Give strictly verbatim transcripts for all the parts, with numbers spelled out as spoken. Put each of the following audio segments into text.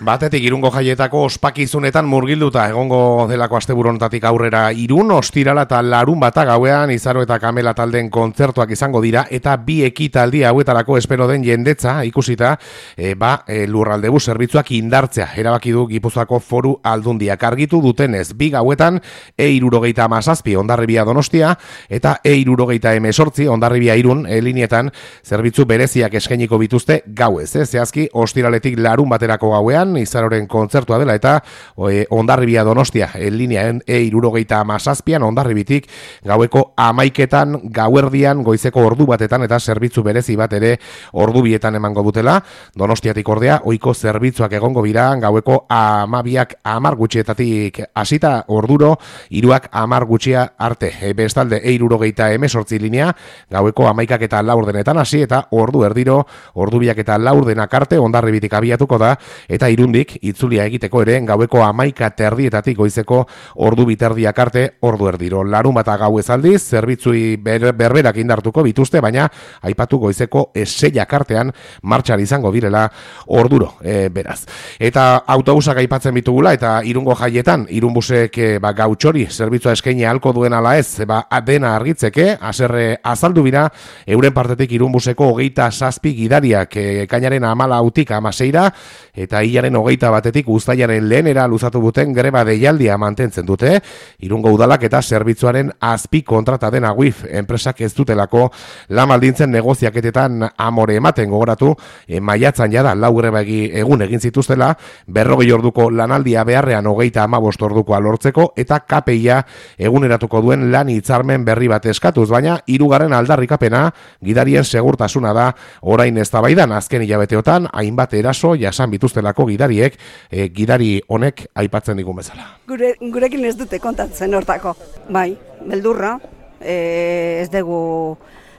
Batetik Irungo Jaietako ospakizunetan murgilduta egongo delako asteburontatik aurrera Irun, ostirala eta larun bata gauean Izaro eta Kamela taldeen kontzertuak izango dira eta bi ekitaldi hauetarako espero den jendetza ikusita e, ba, e, lurraldebus zerbitzuak indartzea. Erabaki du Gipuzkoako Foru Aldundiak argitu dutenez bi gauetan E hirurogeita hamazazpi Hondarribia Donostia eta E hirurogeita hemezortzi Hondarribia Irun e, linietan zerbitzu bereziak eskainiko bituzte gauez. Eh? Zehazki ostiraletik larun baterako gauean Izaroren kontzertua dela eta e, Hondarribia Donostia en lineaen E hirurogeita hamazazpian Hondarribitik gaueko amaiketan gauerdian goizeko ordu batetan eta zerbitzu berezi bat ere ordu bietan emango dutela. Donostiatik ordea ohiko zerbitzuak egongo bira gaueko amabiak amar gutxietatik hasita orduro hiruak amar gutxia arte. E, bestalde E hirurogeita hemezortzi linea gaueko amaikak eta laurdenetan hasi eta ordu erdiro ordubiak eta laurdenak arte Hondarribitik abiatuko da eta Irundik itzulia egiteko ere gaueko amaika terdietatik goizeko ordu biterdiak arte ordu erdiro. Larun bata gauez aldiz, zerbitzui ber, berberak indartuko bituzte, baina aipatu goizeko eseiak artean martxan izango direla orduro, e, beraz. Eta autobusak aipatzen bitugula eta Irungo Jaietan, Irunbusek e, ba, gautxori zerbitzua eskaini halko duen ala ez, ba, dena argitzeke, haserre azaldu bira, euren partetik Irunbuseko hogeita zazpi gidariak e, kainaren amala hautik amaseira, eta hilaren hogeita batetik uztailaren lehenera luzatu duten greba deialdia mantentzen dute. Irungo udalak eta zerbitzuaren azpi kontrata den Aguif enpresak ez dutelako lan baldintzen negoziaketetan amore ematen gogoratu, e, maiatzan jada lau greba egun egin zituztela, berrogei orduko lanaldia beharrean hogeita hamabost ordukoa lortzeko eta K P I-a eguneratuko duen lan hitzarmen berri bat eskatuz, baina hirugarren aldarrikapena gidarien segurtasuna da orain eztabaidan. Azken hilabeteotan hainbat eraso jasan bituztelako gidariek, e, gidari honek aipatzen digun bezala. Gure, gurekin ez dute kontatzen hortako. Bai, beldurra, e, ez dugu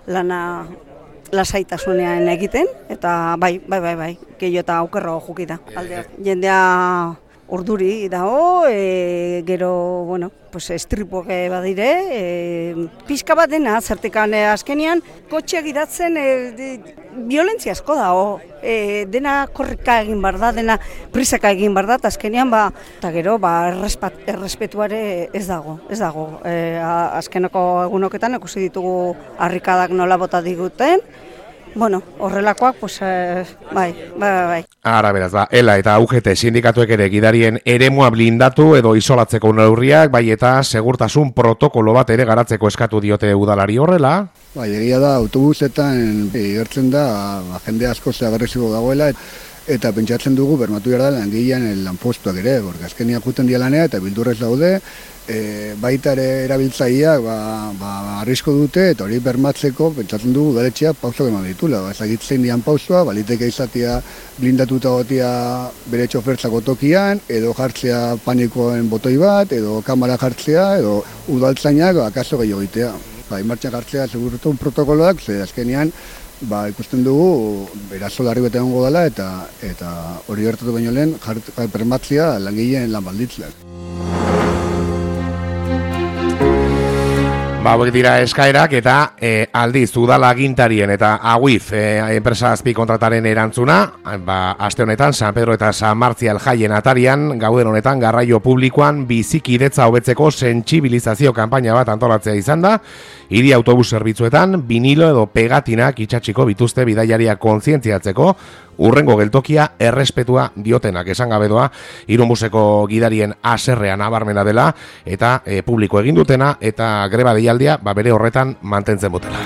lana lasaitasunean egiten, eta bai, bai, bai, bai, gehiago eta aukerro jukita. Aldea. Jendea urduri dago, e, gero, bueno, pues estripuak badire, e, pixka bat dena, zertekan e, azkenean, kotxeak idatzen e, de, violentzia asko dago, e, dena korrika egin bar da, dena prisaka egin bar da, azkenean, ba, eta gero, ba, errespat, errespetuare ez dago, ez dago. E, azkeneko egunoketan ikusi ditugu harrikadak nola bota diguten, bueno, horrelakoak, pues, eh, bai, bai, bai. Ara, beraz, ba, ELA eta U G T sindikatuek ere gidarien eremua blindatu edo isolatzeko neurriak, bai eta segurtasun protokolo bat ere garatzeko eskatu diote udalari horrela. Bai, egia da, autobusetan igertzen da, ba, jende asko agresibo dagoela, eta pentsatzen dugu bermatu behar da langilean lanpostuak ere, porque azkeniak juten dialanea eta bildurrez daude, e, baita ere erabiltzaileak ba, ba, arrisko dute, eta hori bermatzeko pentsatzen dugu udaletxeak pausok eman ditula. Ba, ezagitzen dian pausua, baliteke izatea blindatuta gotia bere txofertzako tokian, edo jartzea panikoen botoi bat, edo kamera jartzea, edo udaltzainak akaso gehiago egitea. Ba, martxan jartzea segurtu protokoloak, ze azkenean ba, ikusten dugu eraso larri bete egongo dela eta eta hori gertatu baino lehen bermatzea langileen lan baldintzak. Ba, hauek dira eskaerak eta e, aldiz udala agintarien eta Aguif e, enpresa azpi kontrataren erantzuna, ba, aste honetan San Pedro eta San Martzial jaien atarian, gauden honetan garraio publikoan bizikidetza hobetzeko sentsibilizazio kanpaina bat antolatzea izan da, hiri autobus zerbitzuetan vinilo edo pegatinak itxatxiko bituzte bidaiaria kontzientziatzeko, urrengo geltokia errespetua diotenak esan gabe doa, Irunbuseko gidarien haserrean nabarmena dela eta e, publiko egin dutena eta greba deialdia ba, bere horretan mantentzen botela.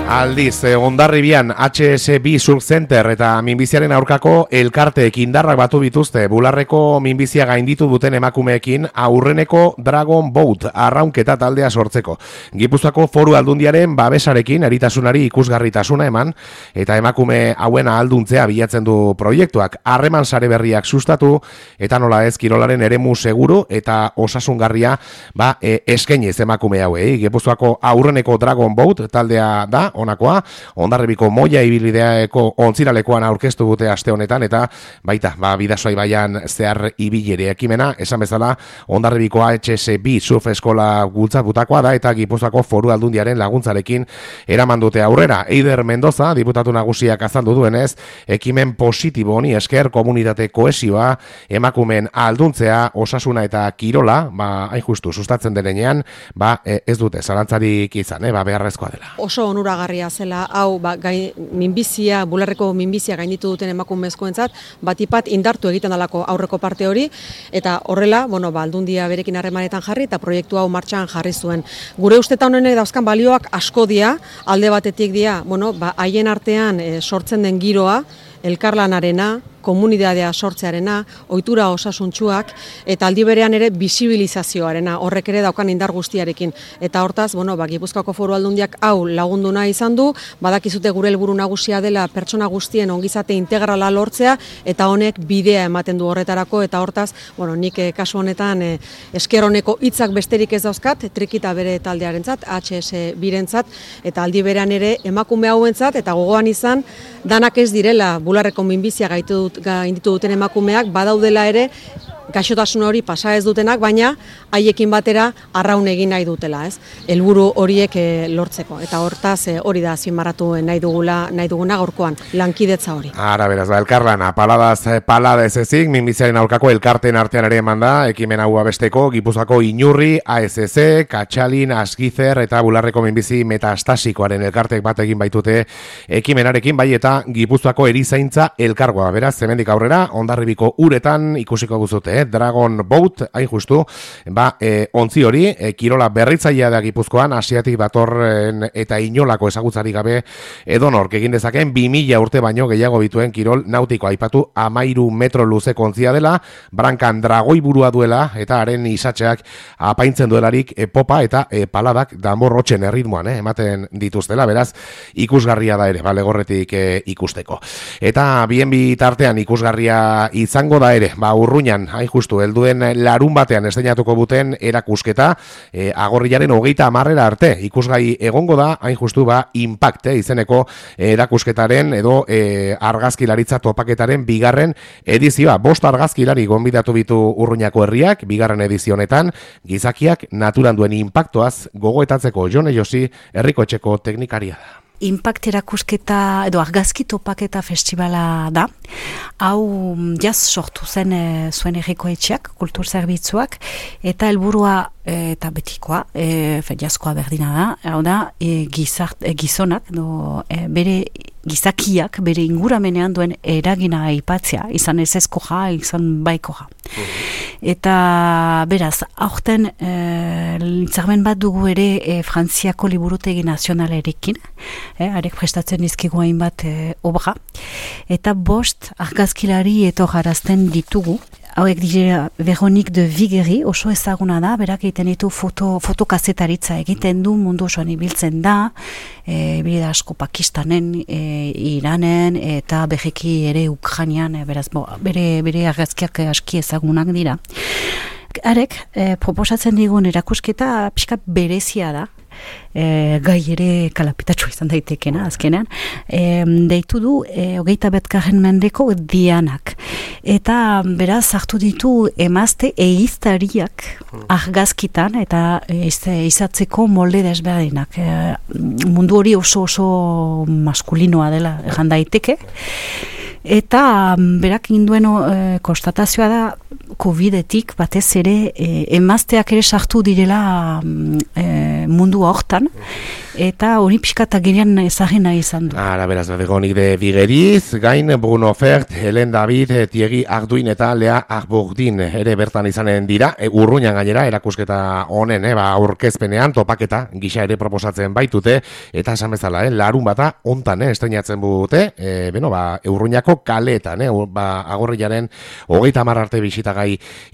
Aldiz, eh, Hondarribian H S B Surf Center eta minbiziaren aurkako elkarteek indarrak batu bituzte bularreko minbizia gainditu duten emakumeekin aurreneko Dragon Boat arraunketa taldea sortzeko. Gipuzkoako Foru Aldundiaren babesarekin eritasunari ikusgarritasuna eman eta emakume hauen ahalduntzea bilatzen du proiektuak. Harreman sare berriak sustatu eta nola ez kirolaren eremu seguru eta osasungarria ba, e, eskainiz emakume hauei. Gipuzkoako aurreneko Dragon Boat taldea da, honakoa, Hondarribiko Moia ibilbideako ontziralekoan aurkeztu dute aste honetan, eta baita, ba, Bidasoa ibaian zehar ibilere ekimena, esan bezala, Hondarribiko H S B surf eskola bultzatutakoa da, eta Gipuzkoako Foru Aldundiaren laguntzarekin eraman dute aurrera. Eider Mendoza, diputatu nagusiak azaldu duenez, ekimen positibo honi esker komunitate kohesioa, emakumeen alduntzea, osasuna eta kirola, ba, hain justu, sustatzen denean, ba, ez dute zalantzarik izan, eh, ba, beharrezkoa dela. Oso onuragarria zela, hau, ba, gai, minbizia, bularreko minbizia gainditu duten emakumezkoentzat, batipat indartu egiten dalako aurreko parte hori, eta horrela, bueno, ba, aldundia berekin harremanetan jarri, eta proiektu hau martxan jarri zuen. Gure ustetan honek dauzkan balioak asko dia, alde batetik dia, bueno, ba, haien artean e, sortzen den giroa, elkarlanarena, komunitatea sortzearena, ohitura osasuntsuak, eta aldi berean ere bisibilizazioarena, horrek ere daukan indar guztiarekin. Eta hortaz, bueno, ba, Gipuzkoako Foru Aldundiak hau lagundu nahi izan du, badakizute gure helburu nagusia dela pertsona guztien ongizate integrala lortzea, eta honek bidea ematen du horretarako, eta hortaz, bueno, nik eh, kasu honetan eh, esker honeko hitzak besterik ez dauzkat, Trikita bere taldearentzat, H S birentzat, eta aldi berean ere emakume hauentzat, eta gogoan izan, danak ez direla bularreko minbizia gaitu dut gainditu duten emakumeak, badaudela ere gaixotasun hori pasa ez dutenak, baina haiekin batera arraun egin nahi dutela, ez? Helburu horiek e, lortzeko, eta hortaz e, hori da azpimarratu nahi dugula, nahi duguna gaurkoan, lankidetza hori. Ara, beraz, ba, elkarlana, paladaz, palada ez ezik, minbiziaren aurkako elkarten artean ere eman da, ekimen hau abesteko, Gipuzkoako Inurri, A S C, Katxalin, Asgizer, eta bularreko minbizi metastasikoaren elkartek bat egin baitute ekimenarekin, bai eta Gipuzkoako erizaintza elkargoa, beraz, hemendik aurrera, Hondarribiko uretan ikusiko guzute, eh? Dragon Boat, hain justu, ba, e, ontzi hori, e, kirola berritzailea da Gipuzkoan, asiatik datorren eta inolako ezagutzarik gabe edonork egin dezaken, bi mila urte baino gehiago bituen kirol nautiko aipatu amairu metro luze kontzia dela, brankan dragoi burua duela, eta haren isatxeak apaintzen duelarik e, popa eta e, paladak danborrotxen erritmoan, eh? ematen dituztela, beraz, ikusgarria da ere, bale gorretik e, ikusteko. Eta bien bitartean ikusgarria izango da ere, ba, Urruñan, hain justu, helduen larun batean esteinatuko buten erakusketa, e, agorrilaren hogeita hamarrera arte, ikusgai egongo da, hain justu, ba, Impact, eh, izeneko erakusketaren edo e, argazkilaritza topaketaren bigarren edizioa. Bost argazkilari gonbidatu bitu Urruñako herriak, bigarren edizionetan, gizakiak naturan duen inpaktoaz gogoetatzeko Jone Josi herriko etxeko teknikaria da. Impact erakusketa edo argazki topaketa festivala da. Hau jaz sortu zen e, zuen herriko etxeak, kultur zerbitzuak, eta helburua e, eta betikoa, e, jazkoa berdina da, hau da, e, gizart, e, gizonak, do, e, bere gizakiak, bere inguramenean duen eragina aipatzea, izan ez ezkoja, izan baikoja. Eta beraz, aurten e, litzarmen bat dugu ere e, Frantziako liburutegi nazionalerekin, e, arek prestatzen dizkigu hainbat e, obra, eta bost argazkilari etorrarazten ditugu. Hauek dira Veronique de Vigeri, oso ezaguna da, berak egiten ditu foto, fotokazetaritza egiten du, mundu osoan ibiltzen da, e, bide asko Pakistanen, e, Iranen, eta berriki ere Ukrainian, e, beraz, bo, bere, bere argazkiak aski ezagunak dira. Arek, e, proposatzen digun erakusketa pixka berezia da, E, gai ere kalapitatxo izan daitekena azkenean, e, deitu du e, hogeita betkarren mendeko dianak, eta beraz hartu ditu emazte eiztariak argazkitan eta e, izatzeko molde desberdinak, e, mundu hori oso oso maskulinoa dela erran daiteke, eta berak induen e, konstatazioa da Covidetik batez ere e, emazteak ere sartu direla e, mundu hortan, eta hori pixkata girean ezagina izan du. Ara, beraz, Veronique de Vigeriz, gain Bruno Fert, Helen David, Thierry Arduin eta Lea Arbordin ere bertan izanen dira, e, Urruñan gainera erakusketa honen, e, ba, aurkezpenean topaketa gisa ere proposatzen baitute, eta esan bezala, e, larun bata ontan, e, estreinatzen bute, e, beno, ba, Urruñako kaleetan, e, ba, agorrilaren hogeita hamar arte bisitagai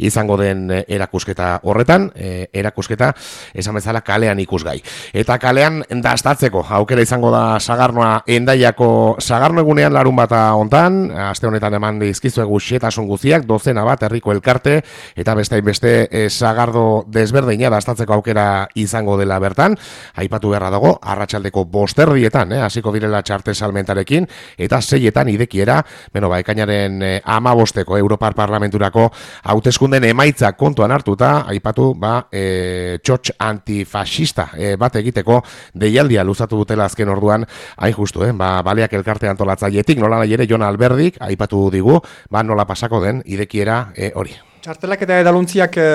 izango den erakusketa horretan, e, erakusketa esan bezala kalean ikusgai. Eta kalean dastatzeko aukera izango da Sagarnoa Hendaiako Sagarno egunean larun bata hontan, aste honetan eman dizkizuegu xetasun guztiak, dozena bat herriko elkarte eta beste beste e, Sagardo desberdina dastatzeko aukera izango dela bertan. Aipatu beharra dago arratsaldeko bosterdietan, eh, hasiko direla txarte salmentarekin eta seietan idekiera, beno ba ekainaren e, hamabosteko Europar Parlamenturako hauteskunden emaitza kontuan hartuta, aipatu ba e, txotx antifascista e, bat egiteko deialdia luzatu dutela azken orduan, hain justu, eh? ba, baleak elkarte antolatzailetik, nola nahi ere Jon Alberdik aipatu digu, ba, nola pasako den idekiera e, hori. Txartelak eta edaluntziak e,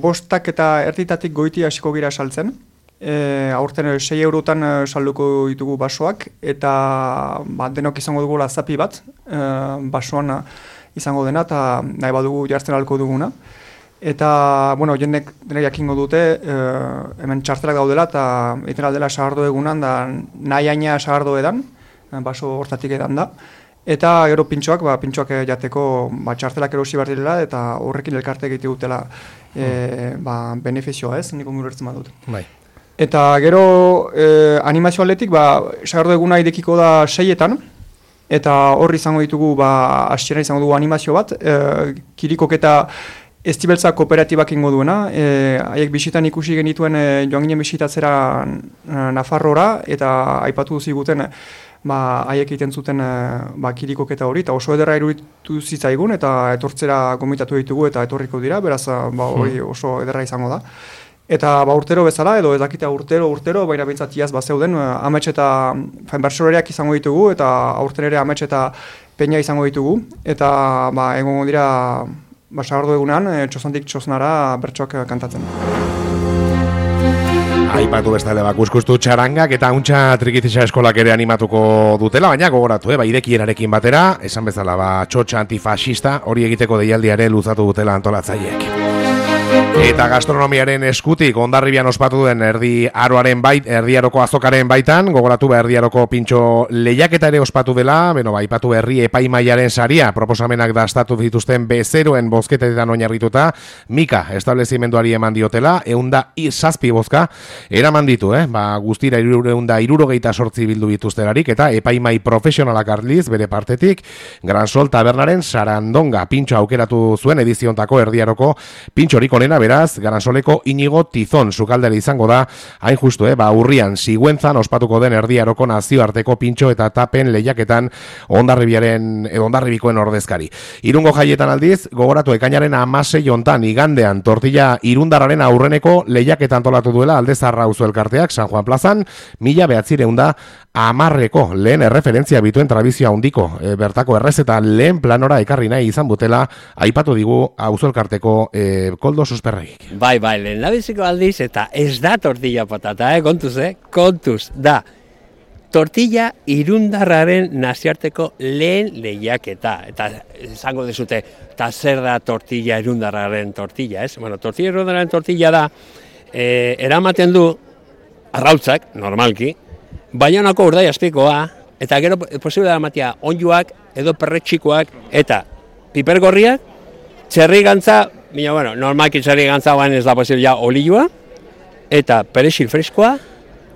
bostak eta erditatik goiti hasiko gira saltzen. E, aurten sei eurotan e, salduko ditugu basoak, eta ba, denok izango dugu lazapi bat, e, basoan izango dena, eta nahi badugu jartzen alko duguna. Eta, bueno, jendek dena jakingo dute, e, hemen txartelak daudela, eta egiten aldela Sagardo egunan, da nahi aina Sagardo edan, baso hortatik edan da. Eta gero pintxoak, ba, pintxoak jateko ba, txartelak erosi behar direla, eta horrekin elkarte egite dutela e, ba, benefizioa ez, nik ongur ertzen badut. Bai. Eta gero e, animazio atletik, ba, Sagardo eguna idekiko da seietan, eta horri izango ditugu, ba, hasiera izango dugu animazio bat, e, kirikok eta Estibeltza kooperatibak ingo duena, haiek e, bisitan ikusi genituen e, joan ginen bisitatzera Nafarrora, eta aipatu ziguten ba, haiek egiten zuten e, ba, kirikoketa hori, eta oso ederra iruditu zitzaigun, eta etortzera gomitatu ditugu eta etorriko dira, beraz ba, hori oso ederra izango da. Eta ba, urtero bezala, edo ez dakita urtero, urtero, baina bintzat iaz bat zeuden, amets eta bertsoreak izango ditugu, eta aurten ere amets eta peina izango ditugu, eta ba, egongo dira Ba, Sagardo egunan, e, txozantik txoznara bertsoak kantatzen. Aipatu bestale bakuskustu txarangak eta untxa trikitisa eskolak ere animatuko dutela, baina gogoratu, eh, ba, idekierarekin batera, esan bezala, ba, txotxa antifascista hori egiteko deialdiare luzatu dutela antolatzaileek. Eta gastronomiaren eskutik Hondarribian ospatu duen erdi aroaren bait, erdiaroko azokaren baitan, gogoratu ba erdiaroko pintxo lehiaketa ere ospatu dela, beno ba aipatu herri epaimaiaren saria, proposamenak dastatu dituzten bezeroen bozketetan oinarrituta, Mika establezimenduari eman diotela, eunda zazpi bozka eraman ditu, eh? Ba, guztira eunda irurogeita sortzi bildu dituztelarik, eta epaimai profesionalak arliz bere partetik, Gran Sol Tabernaren Sarandonga pintxo aukeratu zuen ediziontako erdiaroko pintxorik onena, beraz, Garansoleko Inigo Tizon sukaldera izango da, hain justu, eh, ba, urrian, Sigüenzan ospatuko den erdiaroko nazioarteko pintxo eta tapen lehiaketan Hondarribiaren, edo Hondarribikoen ordezkari. Irungo jaietan aldiz, gogoratu ekainaren hamasei hontan igandean tortilla irundarraren aurreneko lehiaketan antolatu duela Aldezarra auzo elkarteak San Juan plazan, mila behatzireun da amarreko lehen erreferentzia bituen tradizioa handiko, e, bertako errezeta lehen planora ekarri nahi izan butela, aipatu digu auzo elkarteko e, koldo susperregik. Bai, bai, lehen labiziko aldiz, eta ez da tortilla patata, eh? kontuz, eh? kontuz, da. Tortilla irundarraren nazioarteko lehen lehiaketa. Eta esango dezute, eta zer da tortilla irundarraren tortilla, ez? Bueno, tortilla irundarraren tortilla da, eh, eramaten du arrautzak, normalki, Baionako urdai azpikoa, eta gero posible da matia onjuak, edo perretxikoak, eta pipergorriak, txerri gantza, Bina, bueno, normalki txerri gantza bain ez da posible ja olioa, eta perexil freskoa,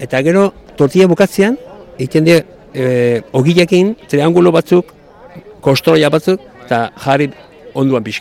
eta gero tortilla bukatzean, egiten die e, ogilekin, triangulo batzuk, kostroia batzuk, eta jarri onduan pixkat.